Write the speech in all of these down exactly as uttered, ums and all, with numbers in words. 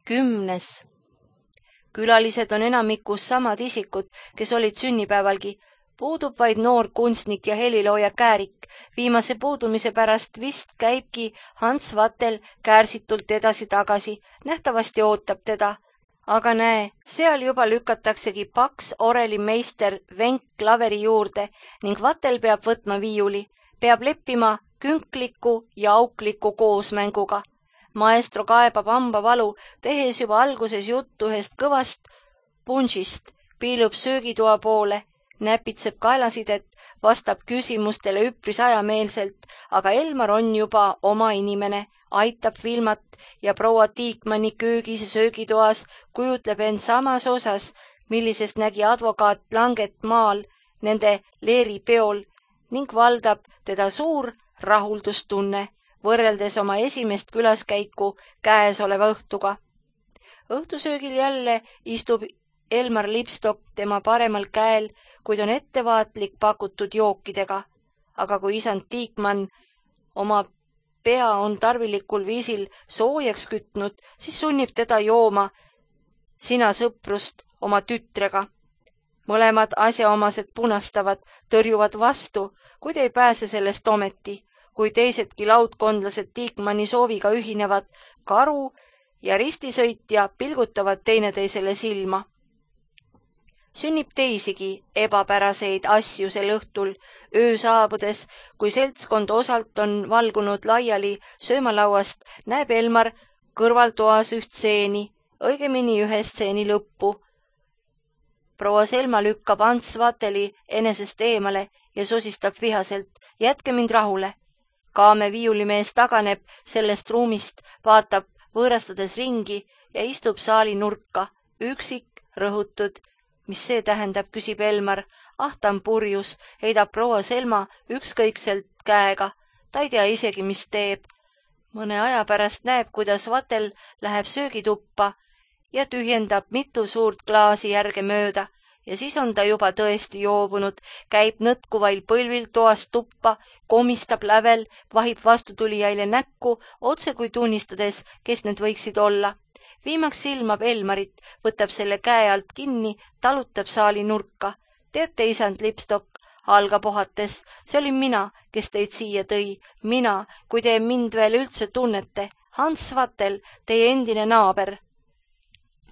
Kümnes. Külalised on enamikus samad isikud, kes olid sünnipäevalgi. Puudub vaid noor kunstnik ja helilooja Käärik. Viimase puudumise pärast vist käibki Hans Vatel käärsitult edasi-tagasi. Nähtavasti ootab teda. Aga näe, seal juba lükataksegi paks orelimeister Venk klaveri juurde ning Vatel peab võtma viiuli. Peab leppima künkliku ja aukliku koosmänguga. Maestro kaebab hambavalu, tehes juba alguses juttu ühest kõvast punšist, piilub söögitoa poole, näpitseb kaelasidet, vastab küsimustele üpris ajameelselt, aga Elmar on juba oma inimene, aitab Vilmat ja proua Tiikmanni köögis ja söögitoas, kujutleb end samas osas, millisest nägi advokaat Langet maal nende leeripeol ning valdab teda suur rahuldustunne, võrreldes oma esimest külaskäiku käesoleva õhtuga. Õhtusöögil jälle istub Elmar Lipstok tema paremal käel, kuid on ettevaatlik pakutud jookidega. Aga kui isand Tiikmann oma pea on tarvilikul viisil soojaks kütnud, siis sunnib teda jooma sina sõprust oma tütrega. Mõlemad asjaomased punastavad, tõrjuvad vastu, kuid ei pääse sellest ometi. Kui teisedki laudkondlased Tiikmanni sooviga ühinevad, karu ja ristisõitja pilgutavad teineteisele silma. Sünnib teisigi ebapäraseid asju sel õhtul, öö saabudes, kui seltskond osalt on valgunud laiali söömalauast, näeb Elmar kõrvaltoas üht stseeni, õigemini ühe stseeni lõppu. Proua Selma lükkab Hans Vateli enesest eemale ja sosistab vihaselt, jätke mind rahule. Kaame viiulimees taganeb sellest ruumist, vaatab võõrastades ringi ja istub saali nurka, üksik, rõhutud. Mis see tähendab, küsib Elmar. Ah, ta on purjus, heidab proua Selma ükskõikselt käega. Ta ei tea isegi, mis teeb. Mõne aja pärast näeb, kuidas Vatel läheb söögituppa ja tühjendab mitu suurt klaasi järge mööda. Ja siis on ta juba tõesti joobunud, käib nõtkuvail põlvil toast tuppa, komistab lävel, vahib vastutulijaile näkku, otse kui tunnistades, kes need võiksid olla. Viimaks silmab Elmarit, võtab selle käe alt kinni, talutab saali nurka. Teate, isand Lipstok, algab ohates, see olin mina, kes teid siia tõi. Mina, kui te mind veel üldse tunnete. Hans Vatel, teie endine naaber.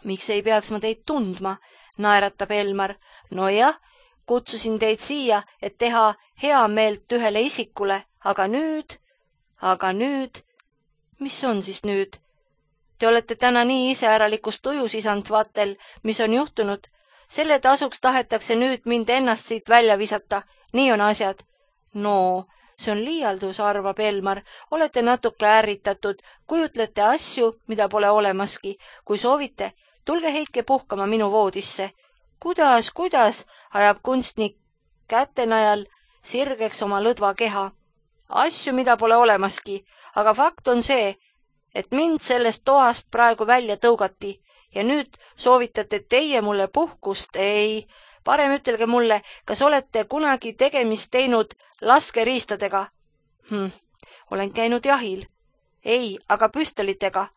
Miks ei peaks ma teid tundma? Naeratab Elmar. No jah, kutsusin teid siia, et teha hea meelt ühele isikule, aga nüüd, aga nüüd, mis on siis nüüd? Te olete täna nii iseäralikust tujus, isand Vatel, mis on juhtunud. Selle tasuks tahetakse nüüd mind ennast siit välja visata. Nii on asjad. No, see on liialdus, arvab Elmar. Olete natuke ärritatud, kujutlete asju, mida pole olemaski. Kui soovite, tulge heitke puhkama minu voodisse. Kuidas, kuidas, ajab kunstnik kätenajal sirgeks oma lõdva keha. Asju, mida pole olemaski, aga fakt on see, et mind sellest toast praegu välja tõugati ja nüüd soovitate teie mulle puhkust. Ei, parem ütelge mulle, kas olete kunagi tegemist teinud laskeriistadega? Hm, olen käinud jahil. Ei, aga püstolitega.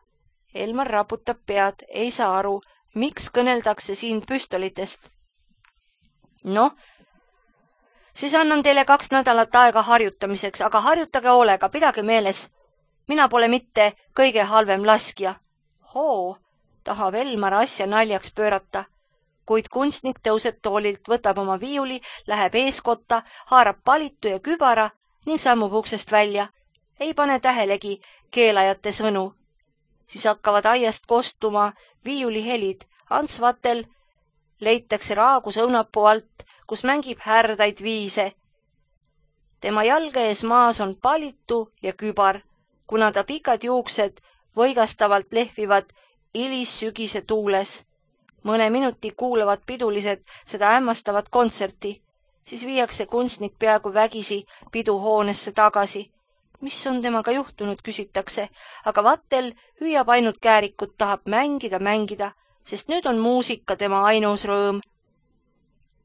Elmar raputab pead, ei saa aru, miks kõneldakse siin püstolitest. Noh, siis annan teile kaks nädalat aega harjutamiseks, aga harjutage hoolega, pidage meeles. Mina pole mitte kõige halvem laskja. Hoo, tahab Elmar asja naljaks pöörata. Kuid kunstnik tõuseb toolilt, võtab oma viiuli, läheb eeskotta, haarab palitu ja kübara ning sammub uksest välja. Ei pane tähelegi keelajate sõnu. Siis hakkavad aiast kostuma viiuli helid. Hans Vatel leitakse raagus õunapuu alt, kus mängib härdaid viise. Tema jalge ees maas on palitu ja kübar. Kuna ta pikad juuksed võigastavalt lehvivad ilissügise tuules. Mõne minuti kuulavad pidulised seda hämmastavat kontserti, siis viiakse kunstnik peaaegu vägisi piduhoonesse tagasi. Mis on temaga juhtunud, küsitakse, aga Vatel hüüab ainult Käärikut, tahab mängida, mängida, sest nüüd on muusika tema ainus rõõm.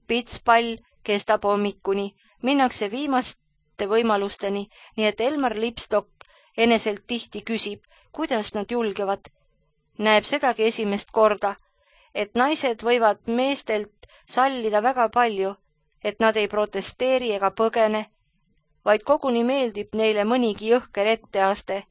Pitspall kestab hommikuni, minnakse viimaste võimalusteni, nii et Elmar Lipstok eneselt tihti küsib, kuidas nad julgevad. näeb sedagi esimest korda, et naised võivad meestelt sallida väga palju, et nad ei protesteeri ega põgene, vaid koguni meeldib neile mõnigi jõhker etteaste.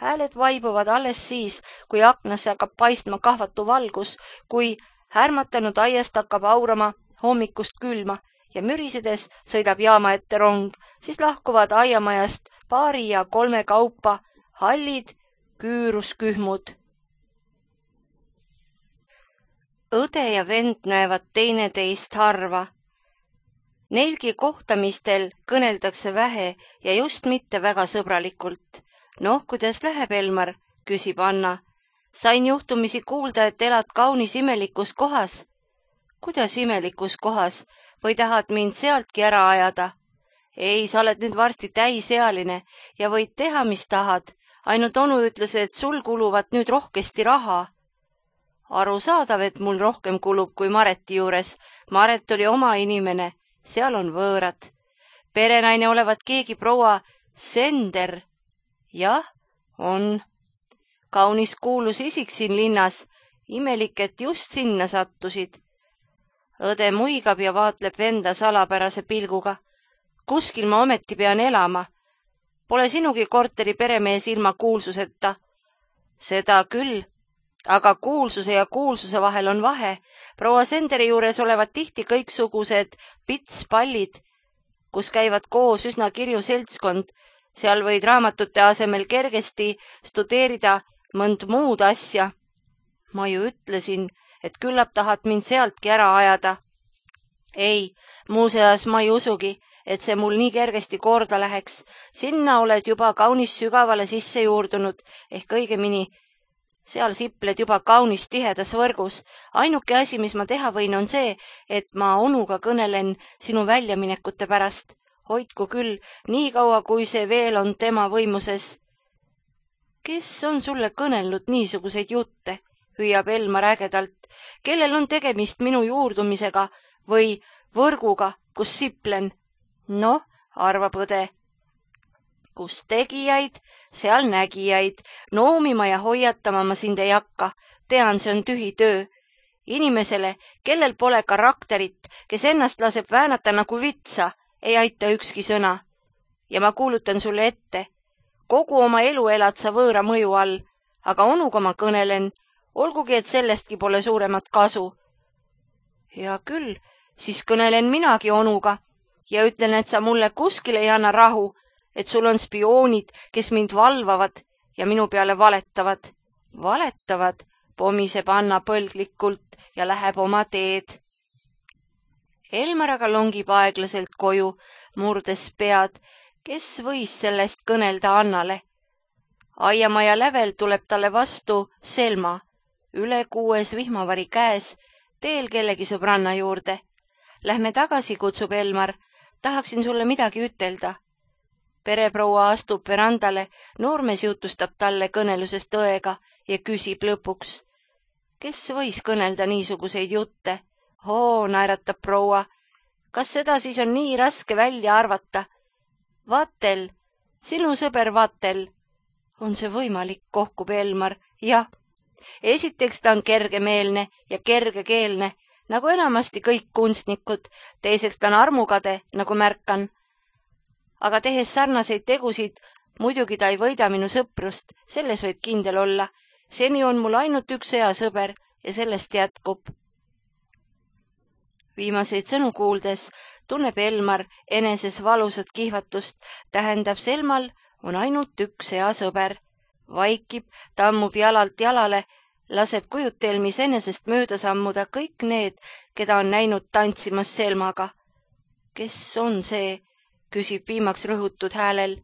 Hääled vaibuvad alles siis, kui aknasse hakkab paistma kahvatu valgus, kui härmatanud aiast hakkab aurama hommikust külma ja mürisedes sõidab jaama ette rong, siis lahkuvad aiamajast paari ja kolme kaupa hallid küüruskühmud. Õde ja vend näevad teineteist harva. Neilgi kohtamistel kõneldakse vähe ja just mitte väga sõbralikult. Noh, kuidas läheb, Elmar, küsib Anna. Sain juhtumisi kuulda, et elad kaunis imelikus kohas. Kuidas imelikus kohas? Või tahad mind sealtki ära ajada? Ei, sa oled nüüd varsti täisealine ja võid teha, mis tahad. Ainult onu ütles, et sul kuluvad nüüd rohkesti raha. Arusaadav, et mul rohkem kulub kui Mareti juures. Maret oli oma inimene, seal on võõrad. Perenaine olevat keegi proua Sender. Jah, on. Kaunis kuulus isik siin linnas. Imelik, et just sinna sattusid. Õde muigab ja vaatleb venda salapärase pilguga. Kuskil ma ometi pean elama. Pole sinugi korteri peremees ilma kuulsuseta. Seda küll, aga kuulsuse ja kuulsuse vahel on vahe. Proua Senderi juures olevat tihti kõiksugused pitspallid, kus käivad koos üsna kirju seltskond. Seal võid raamatute asemel kergesti studeerida mõnd muud asja. Ma ju ütlesin, et küllap tahad mind sealtki ära ajada. Ei, muuseas ma ei usugi, et see mul nii kergesti korda läheks. Sinna oled juba kaunis sügavale sisse juurdunud, ehk õigemini, seal sipled juba kaunis tihedas võrgus. Ainuke asi, mis ma teha võin, on see, et ma onuga kõnelen sinu väljaminekute pärast. Hoidku küll, nii kaua, kui see veel on tema võimuses. Kes on sulle kõnelnud niisuguseid jutte, hüüab Elmar ägedalt, kellel on tegemist minu juurdumisega või võrguga, kus siplen? Noh, arvab õde. Kus tegijaid, seal nägijaid, noomima ja hoiatama ma sind ei hakka, tean, see on tühi töö. Inimesele, kellel pole karakterit, kes ennast laseb väänata nagu vitsa, ei aita ükski sõna. Ja ma kuulutan sulle ette, kogu oma elu elad sa võõra mõju all, aga onuga ma kõnelen, olgugi, et sellestki pole suuremat kasu. Hea küll, siis kõnelen minagi onuga ja ütlen, et sa mulle kuskil ei anna rahu, et sul on spioonid, kes mind valvavad ja minu peale valetavad. Valetavad, pomiseb Anna põlglikult ja läheb oma teed. Elmar aga longib aeglaselt koju, murdes pead, kes võis sellest kõnelda Annale. Aiamaja lävel tuleb talle vastu Selma, üle kuues vihmavari käes, teel kellegi sõbranna juurde. Lähme tagasi, kutsub Elmar, tahaksin sulle midagi ütelda. Pereproua astub verandale, noormees jutustab talle kõnelusest õega ja küsib lõpuks. Kes võis kõnelda niisuguseid jutte? Oo, naeratab proua. Kas seda siis on nii raske välja arvata? Vatel, sinu sõber Vatel. On see võimalik, kohkub Elmar? Jah. Esiteks ta on kergemeelne ja kergekeelne, nagu enamasti kõik kunstnikud. Teiseks ta on armukade, nagu märkan. Aga tehes sarnaseid tegusid, muidugi ta ei võida minu sõprust, selles võib kindel olla. Seni on mul ainult üks hea sõber ja sellest jätkub. Viimaseid sõnu kuuldes tunneb Elmar eneses valusat kihvatust, tähendab Selmal on ainult üks hea sõber. Vaikib, tammub jalalt jalale, laseb kujutelmis enesest mööda sammuda kõik need, keda on näinud tantsimas Selmaga. Kes on see, küsib viimaks rõhutud häälel.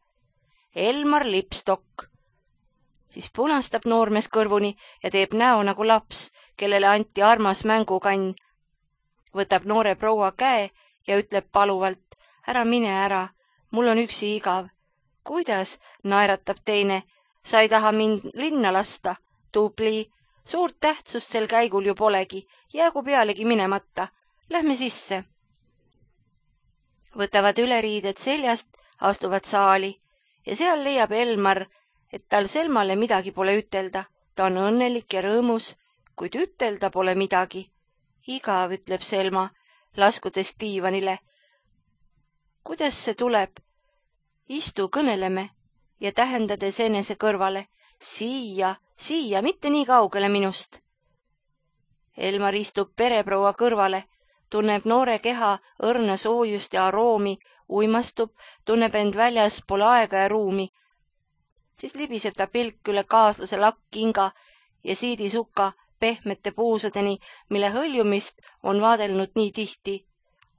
Elmar Lipstok. Siis punastab noormees kõrvuni ja teeb näo nagu laps, kellele anti armas mängukann. Võtab noore proua käe ja ütleb paluvalt, ära mine ära, mul on üksi igav. Kuidas, naeratab teine, sa ei taha mind linna lasta, tubli, suurt tähtsust sel käigul ju polegi, jäägu pealegi minemata, lähme sisse. Võtavad üleriided seljast, astuvad saali ja seal leiab Elmar, et tal Selmale midagi pole ütelda. ta on õnnelik ja rõõmus, kuid ütelda pole midagi. Igav, ütleb Selma, laskudes diivanile. Kuidas see tuleb? Istu, kõneleme ja tähendades enese kõrvale. Siia, siia, mitte nii kaugele minust. Elmar istub pereproua kõrvale, tunneb noore keha õrna soojust ja aroomi, uimastub, tunneb end väljas pole aega ja ruumi. Siis libiseb ta pilk üle kaaslase lakkkinga ja siidisuka pehmete puusadeni, mille hõljumist on vaadelnud nii tihti.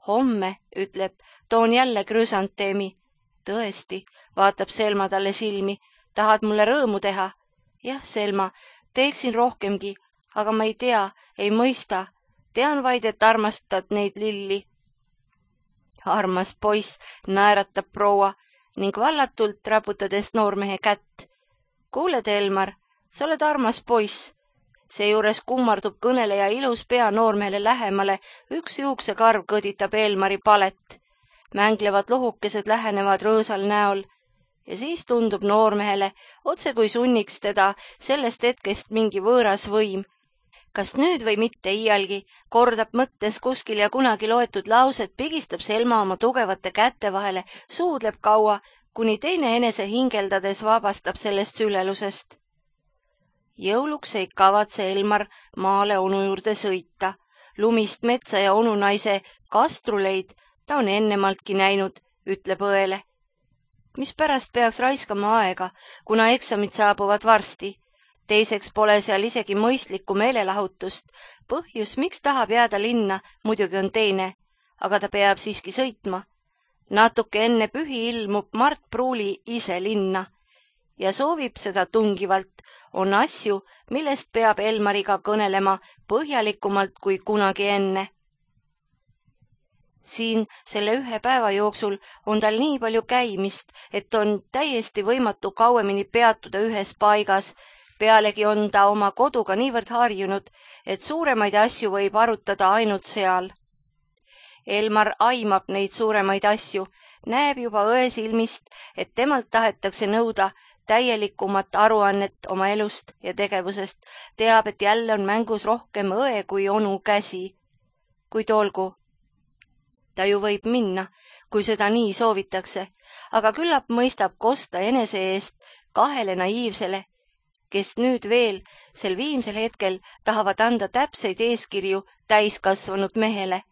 Homme, ütleb, toon jälle krüsanteemi. Tõesti, vaatab Selma talle silmi. Tahad mulle rõõmu teha? Jah, Selma, teeksin rohkemgi, aga ma ei tea, ei mõista. Tean vaid, et armastad neid lilli. Armas poiss, naeratab proua ning vallatult raputades noormehe kätt. Kuuled, Elmar, sa oled armas poiss. Seejuures kummardub kõneleja ilus pea noormehele lähemale, üks juuksekarv kõditab Elmari palet. Mänglevad lohukesed lähenevad rõõsal näol ja siis tundub noormehele, otse kui sunniks teda sellest hetkest mingi võõras võim. Kas nüüd või mitte iialgi, kordab mõttes kuskil ja kunagi loetud laused, pigistab Selma oma tugevate kätte vahele, suudleb kaua, kuni teine enese hingeldades vabastab sellest sülelusest. Jõuluks ei kavatse Elmar maale onu juurde sõita. Lumist metsa ja onunaise kastruleid ta on ennemaltki näinud, ütleb õele. Mispärast peaks raiskama aega, kuna eksamid saabuvad varsti? Teiseks pole seal isegi mõistlikku meelelahutust. Põhjus, miks tahab jääda linna, muidugi on teine, aga ta peab siiski sõitma. Natuke enne pühi ilmub Mart Pruuli ise linna ja soovib seda tungivalt. On asju, millest peab Elmariga kõnelema põhjalikumalt kui kunagi enne. Siin selle ühe päeva jooksul on tal nii palju käimist, et on täiesti võimatu kauemini peatuda ühes paigas. Pealegi on ta oma koduga niivõrd harjunud, et suuremaid asju võib arutada ainult seal. Elmar aimab neid suuremaid asju, näeb juba õe silmist, et temalt tahetakse nõuda täielikumat aruannet oma elust ja tegevusest, teab, et jälle on mängus rohkem õe kui onu käsi. Kuid olgu, ta ju võib minna, kui seda nii soovitakse, aga küllap mõistab kosta enese eest kahele naiivsele, kes nüüd veel sel viimsel hetkel tahavad anda täpseid eeskirju täiskasvanud mehele.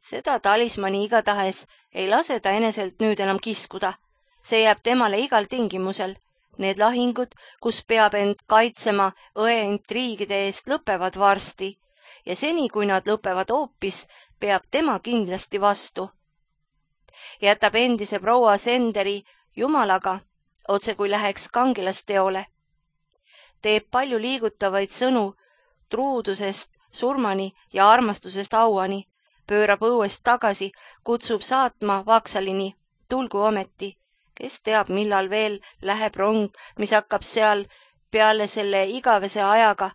Seda talismani igatahes ei lase ta eneselt nüüd enam kiskuda. See jääb temale igal tingimusel. Need lahingud, kus peab end kaitsema õe intriigide eest, lõpevad varsti ja seni, kui nad lõpevad hoopis, peab tema kindlasti vastu. Jätab endise proua Senderi jumalaga, otse kui läheks kangelasteole. Teeb palju liigutavaid sõnu truudusest surmani ja armastusest auani, pöörab õuest tagasi, kutsub saatma Vaksalini, tulgu ometi. Kes teab, millal veel läheb rong, mis hakkab seal peale selle igavese ajaga,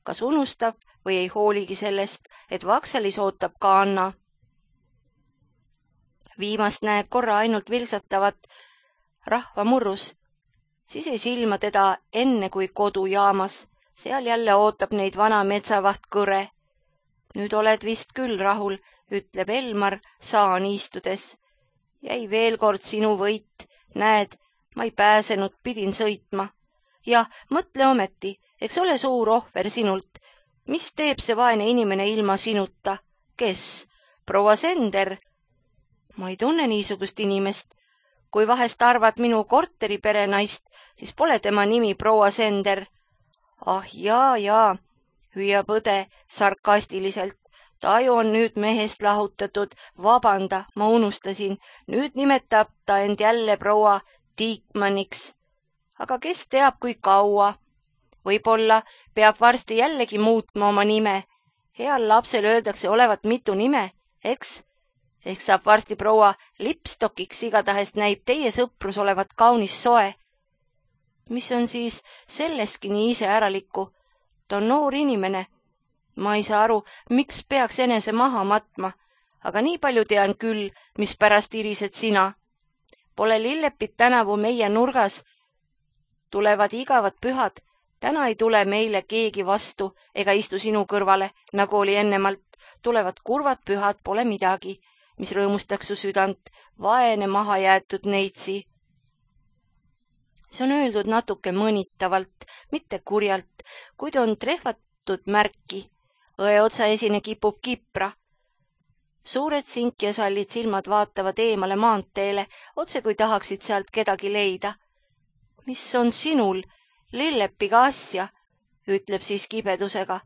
kas unustab või ei hooligi sellest, et Vaksalis ootab ka Anna. Viimast näeb korra ainult vilksatavat rahvamurrus, siis ei silma teda enne kui kodujaamas, seal jälle ootab neid vana metsavaht Kõre. Nüüd oled vist küll rahul, ütleb Elmar saani istudes. Jäi veel kord sinu võit. Näed, ma ei pääsenud, pidin sõitma. Ja mõtle ometi, eks ole suur ohver sinult. Mis teeb see vaene inimene ilma sinuta? Kes? Proua Sender? Ma ei tunne niisugust inimest. Kui vahest arvad minu korteri perenaist, siis pole tema nimi proua Sender. Ah jaa, jaa, hüüab õde sarkastiliselt. Ta ju on nüüd mehest lahutatud, vabanda, ma unustasin, nüüd nimetab ta end jälle proua Tiikmaniks. Aga kes teab, kui kaua? Võib-olla peab varsti jällegi muutma oma nime. Heal lapsel öeldakse olevat mitu nime, eks? Ehk saab varsti proua Lipstokiks, igatahes näib teie sõprus olevat kaunis soe. Mis on siis selleski nii iseäralikku? Ta on noor inimene. Ma ei saa aru, miks peaks enese maha matma, aga nii palju tean küll, mis pärast irised sina. Pole Lillepit tänavu meie nurgas. Tulevad igavad pühad, täna ei tule meile keegi vastu ega istu sinu kõrvale, nagu oli ennemalt. Tulevad kurvad pühad, pole midagi, mis rõõmustaks su südant, vaene maha jäetud neitsi. See on öeldud natuke mõnitavalt, mitte kurjalt, kuid on trehvatud märki. Õe otsa esine kipub kipra. Suured sinkjasallid silmad vaatavad eemale maanteele, otse kui tahaksid sealt kedagi leida. Mis on sinul, lillepiga asja, ütleb siis kibedusega.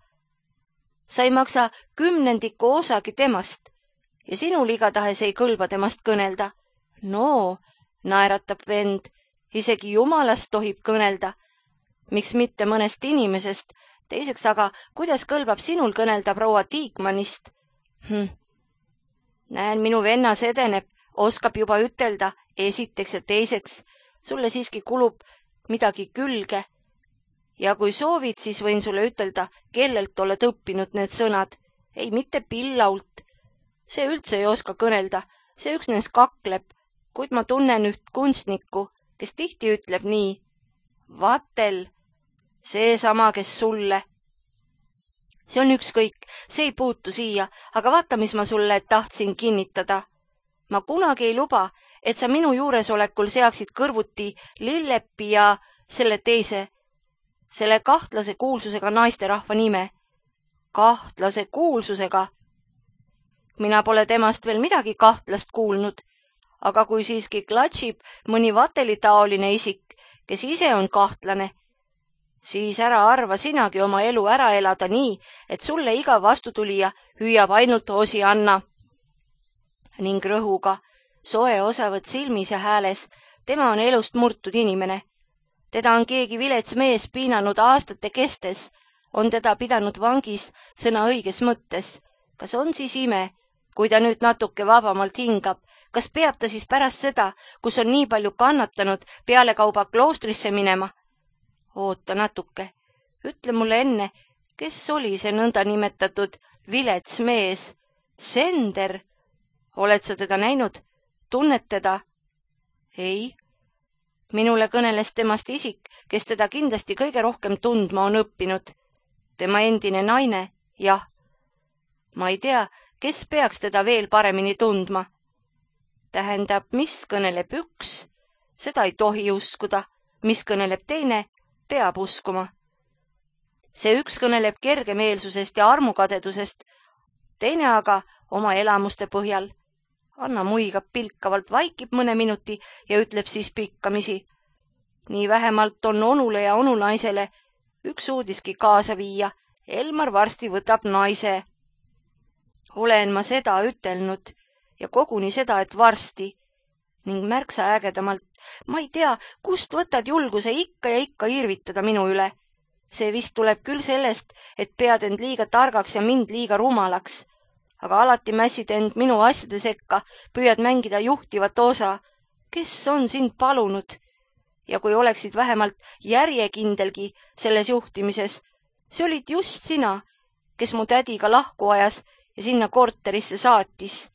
Sa ei maksa kümnendiku osagi temast ja sinul igatahes ei kõlba temast kõnelda. No, naeratab vend, isegi jumalast tohib kõnelda. Miks mitte mõnest inimesest, teiseks aga, kuidas kõlbab sinul kõnelda proua Tiikmanist? Hm. Näen, minu vennas edeneb, oskab juba ütelda esiteks ja teiseks. Sulle siiski kulub midagi külge. Ja kui soovid, siis võin sulle ütelda, kellelt oled õppinud need sõnad. Ei, mitte Pillault. See üldse ei oska kõnelda, see üksnes kakleb, kuid ma tunnen üht kunstnikku, kes tihti ütleb nii. Vatel, see sama, kes sulle. See on ükskõik, see ei puutu siia, aga vaata, mis ma sulle tahtsin kinnitada. Ma kunagi ei luba, et sa minu juuresolekul seaksid kõrvuti Lillepi ja selle teise, selle kahtlase kuulsusega naisterahva nime. Kahtlase kuulsusega. Mina pole temast veel midagi kahtlast kuulnud, aga kui siiski klatšib mõni vatelitaoline isik, kes ise on kahtlane, siis ära arva sinagi oma elu ära elada nii, et sulle iga vastutulija hüüab ainult osi anna. Ning rõhuga, soe osavõtt silmis ja hääles, tema on elust murtud inimene. Teda on keegi vilets mees piinanud aastate kestes, on teda pidanud vangis sõna õiges mõttes. Kas on siis ime, kui ta nüüd natuke vabamalt hingab, kas peab ta siis pärast seda, kus on nii palju kannatanud, pealekauba kloostrisse minema? Oota natuke, ütle mulle enne, kes oli see nõnda nimetatud vilets mees? Sender? Oled sa teda näinud? Tunned teda? Ei. Minule kõneles temast isik, kes teda kindlasti kõige rohkem tundma on õppinud. Tema endine naine, jah. Ma ei tea, kes peaks teda veel paremini tundma. Tähendab, mis kõneleb üks, seda ei tohi uskuda, mis kõneleb teine, peab uskuma. See üks kõneleb kergemeelsusest ja armukadedusest, teine aga oma elamuste põhjal. Anna muigab pilkavalt, vaikib mõne minuti ja ütleb siis pikkamisi. Nii vähemalt on onule ja onunaisele üks uudiski kaasa viia. Elmar varsti võtab naise. Olen ma seda ütelnud ja koguni seda, et varsti. Ning märksa ägedamalt, ma ei tea, kust võtad julguse ikka ja ikka irvitada minu üle. See vist tuleb küll sellest, et pead end liiga targaks ja mind liiga rumalaks. Aga alati mässid end minu asjade sekka, püüad mängida juhtivat osa. Kes on sind palunud? Ja kui oleksid vähemalt järjekindelgi selles juhtimises, see olid just sina, kes mu tädiga lahku ajas ja sinna korterisse saatis.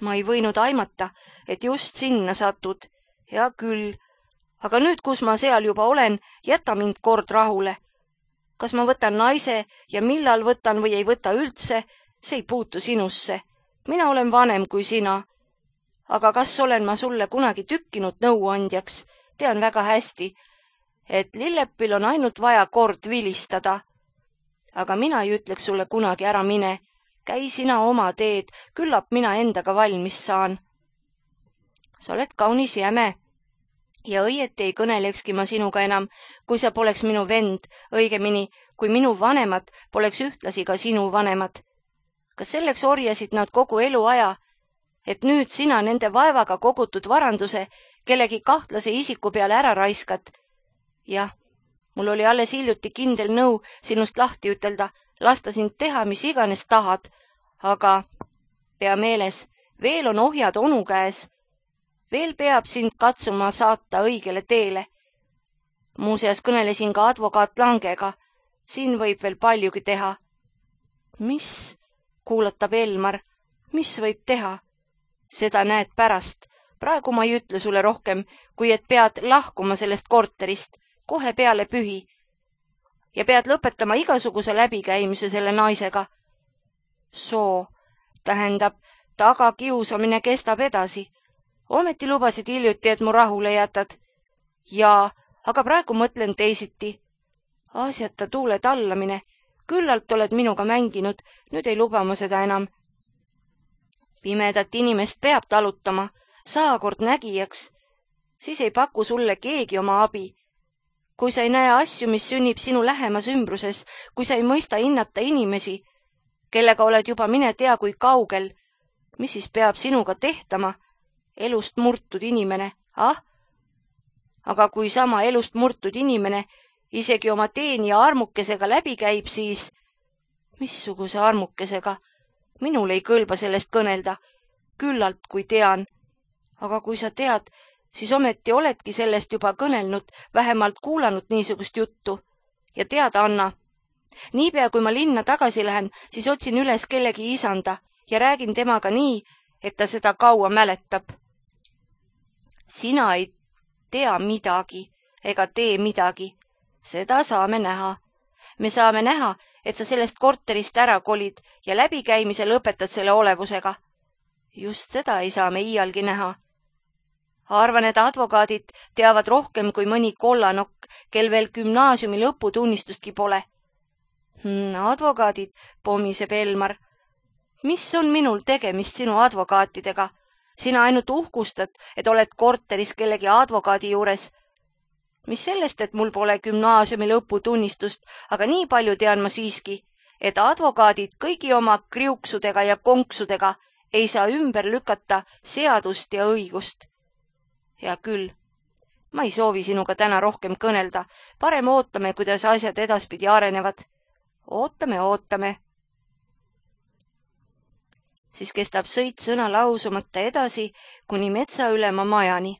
Ma ei võinud aimata, et just sinna satud. Hea küll, aga nüüd, kus ma seal juba olen, jäta mind kord rahule. Kas ma võtan naise ja millal võtan või ei võta üldse, see ei puutu sinusse. Mina olen vanem kui sina. Aga kas olen ma sulle kunagi tükkinud nõuandjaks? Tean väga hästi, et Lillepil on ainult vaja kord vilistada. Aga mina ei ütleks sulle kunagi ära mine. Käi sina oma teed, küllap mina endaga valmis saan. Sa oled kaunis jäme. Ja õieti ei kõnelekski ma sinuga enam, kui sa poleks minu vend, õigemini, kui minu vanemad poleks ühtlasi ka sinu vanemad. Kas selleks orjasid nad kogu elu aja, et nüüd sina nende vaevaga kogutud varanduse kellegi kahtlase isiku peale ära raiskad? Jah, mul oli alles hiljuti kindel nõu sinust lahti ütelda, lasta sind teha, mis iganes tahad, aga pea meeles, veel on ohjad onu käes. Veel peab sind katsuma saata õigele teele. Muuseas kõnelesin ka advokaat Langega. Siin võib veel paljugi teha. Mis? Kuulatab Elmar. Mis võib teha? Seda näed pärast. Praegu ma ei ütle sulle rohkem, kui et pead lahkuma sellest korterist. kohe peale pühi ja pead lõpetama igasuguse läbikäimise selle naisega. Soo, tähendab, tagakiusamine kestab edasi. Ometi lubasid hiljuti, et mu rahule jätad. Jaa, aga praegu mõtlen teisiti. Asjata tuule tallamine. Küllalt oled minuga mänginud, nüüd ei luba ma seda enam. Pimedat inimest peab talutama, saakord nägijaks. Siis ei paku sulle keegi oma abi. Kui sa ei näe asju, mis sünnib sinu lähemas ümbruses, kui sa ei mõista hinnata inimesi, kellega oled juba mine tea kui kaugel, mis siis peab sinuga tehtama? Elust murtud inimene, ah? Aga kui sama elust murtud inimene isegi oma teenija armukesega läbi käib, siis... Missuguse armukesega? Minul ei kõlba sellest kõnelda, küllalt kui tean. Aga kui sa tead, siis ometi oledki sellest juba kõnelnud, vähemalt kuulanud niisugust juttu. Ja teada, Anna, niipea kui ma linna tagasi lähen, siis otsin üles kellegi isanda ja räägin temaga nii, et ta seda kaua mäletab. Sina ei tea midagi ega tee midagi. Seda saame näha. Me saame näha, et sa sellest korterist ära kolid ja läbikäimise lõpetad selle olevusega. Just seda ei saa me iialgi näha. Arvan, et advokaadid teavad rohkem kui mõni kollanokk, kel veel gümnaasiumi lõputunnistustki pole. Hmm, advokaadid, pomiseb Elmar. Mis on minul tegemist sinu advokaatidega? Sina ainult uhkustad, et oled korteris kellegi advokaadi juures. Mis sellest, et mul pole gümnaasiumi lõputunnistust, aga nii palju tean ma siiski, et advokaadid kõigi oma kriuksudega ja konksudega ei saa ümber lükata seadust ja õigust. Hea küll, ma ei soovi sinuga täna rohkem kõnelda, parem ootame, kuidas asjad edaspidi arenevad. Ootame, ootame. Siis kestab sõit sõna lausumata edasi kuni metsaülema majani.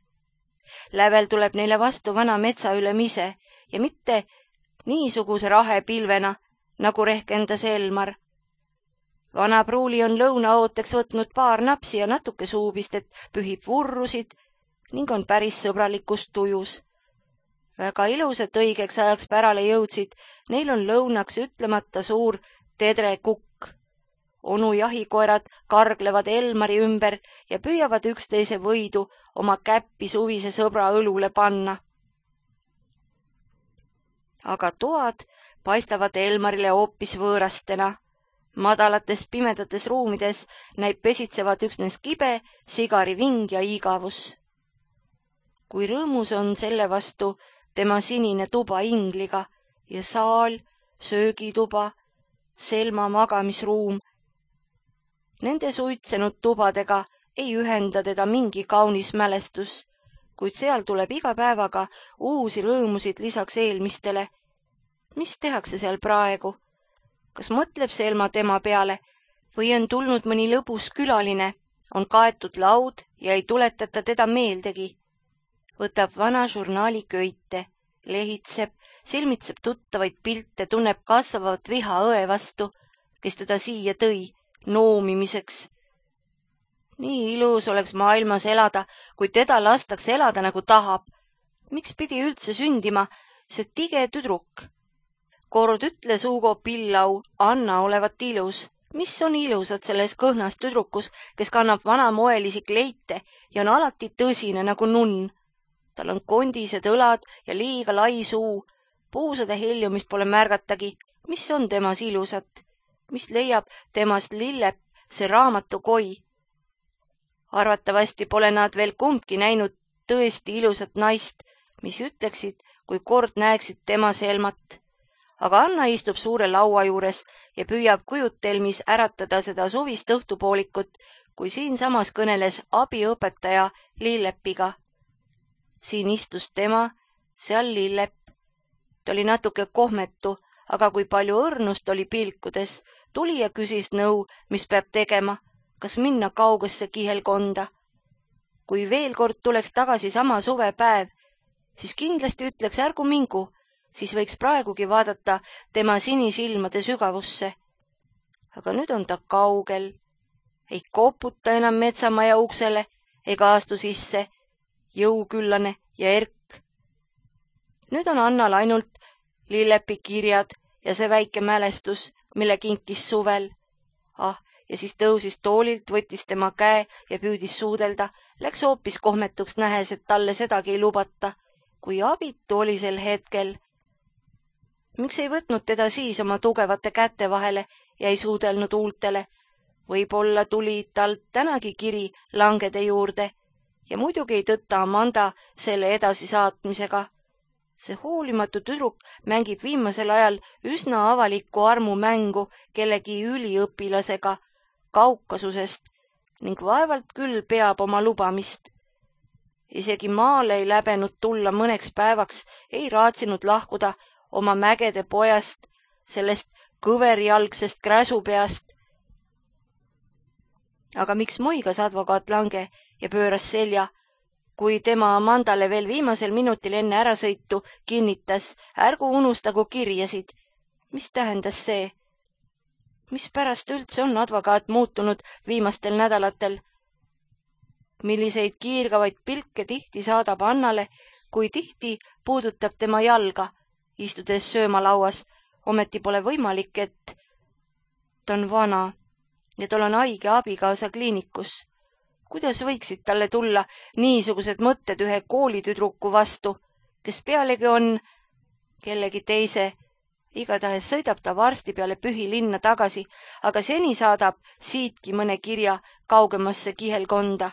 Lävel tuleb neile vastu vana metsaülem ise ja mitte niisuguse rahe pilvena, nagu rehkendas Elmar. Vana pruuli on lõunaooteks võtnud paar napsi ja natuke suupistet, pühib vurrusid ning on päris sõbralikus tujus. Väga ilusat õigeks ajaks pärale jõudsid, neil on lõunaks ütlemata suur tedrekukk. Onu jahikoerad karglevad Elmari ümber ja püüavad üksteise võidu oma käppi suvise sõbra õlule panna. Aga toad paistavad Elmarile hoopis võõrastena. Madalates pimedates ruumides näib pesitsevad üksnes kibe, sigariving ja igavus. Kui rõõmus on selle vastu tema sinine tuba ingliga ja saal, söögituba, Selma magamisruum. Nende suitsenud tubadega ei ühenda teda mingi kaunis mälestus, kuid seal tuleb iga päevaga uusi rõõmusid lisaks eelmistele. Mis tehakse seal praegu? Kas mõtleb Selma tema peale või on tulnud mõni lõbus külaline, on kaetud laud ja ei tuletata teda meeldegi? Võtab vana žurnaali köite, lehitseb, silmitseb tuttavaid pilte, tunneb kasvavat viha õe vastu, kes teda siia tõi, noomimiseks. Nii ilus oleks maailmas elada, kui teda lastaks elada nagu tahab. Miks pidi üldse sündima see tige tüdruk? Kord ütles Hugo Pillau Anna olevat ilus. Mis on ilusad selles kõhnas tüdrukus, kes kannab vanamoelisi kleite ja on alati tõsine nagu nunn? Tal on kondised õlad ja liiga lai suu. Puusade heljumist pole märgatagi. Mis on temas ilusat? Mis leiab temast Lillep, see raamatukoi? Arvatavasti pole nad veel kumbki näinud tõesti ilusat naist, mis ütleksid, kui kord näeksid tema Selmat. Aga Anna istub suure laua juures ja püüab kujutelmis äratada seda suvist õhtupoolikut, kui siin samas kõneles abiõpetaja Lillepiga. Siin istus tema, seal Lillep. Ta oli natuke kohmetu, aga kui palju õrnust oli pilkudes, tuli ja küsis nõu, mis peab tegema, kas minna kaugesse kihelkonda. Kui veel kord tuleks tagasi sama suvepäev, siis kindlasti ütleks ärgu mingu, siis võiks praegugi vaadata tema sinisilmade sügavusse. Aga nüüd on ta kaugel, ei koputa enam metsamaja uksele ega astu sisse, jõuküllane ja erk. Nüüd on Annal ainult lillepikirjad ja see väike mälestus, mille kinkis suvel. Ah, ja siis tõusis toolilt, võttis tema käe ja püüdis suudelda, läks hoopis kohmetuks nähes, et talle sedagi ei lubata. Kui abitu oli sel hetkel. Miks ei võtnud teda siis oma tugevate käte vahele ja ei suudelnud huultele? Võib-olla tuli talt tänagi kiri langede juurde ja muidugi ei tõtta Amanda selle edasisaatmisega. See hoolimatu tüdruk mängib viimasel ajal üsna avalikku armumängu kellegi üliõpilasega Kaukasusest ning vaevalt küll peab oma lubamist. Isegi maale ei läbenud tulla mõneks päevaks, ei raatsinud lahkuda oma mägede pojast, sellest kõverjalgsest kräsupeast. Aga miks moigas advokaat Lange ja pööras selja, kui tema Amandale veel viimasel minutil enne ärasõitu kinnitas, ärgu unustagu kirjasid? Mis tähendas see? Mispärast üldse on advokaat muutunud viimastel nädalatel? Milliseid kiirgavaid pilke tihti saadab Annale, kui tihti puudutab tema jalga, istudes söömalauas, ometi pole võimalik, et ta on vana ja tal on haige abikaasa kliinikus. Kuidas võiksid talle tulla niisugused mõtted ühe koolitüdruku vastu, kes pealegi on kellegi teise? Igatahes sõidab ta varsti peale Pühilinna tagasi, aga seni saadab siitki mõne kirja kaugemasse kihelkonda.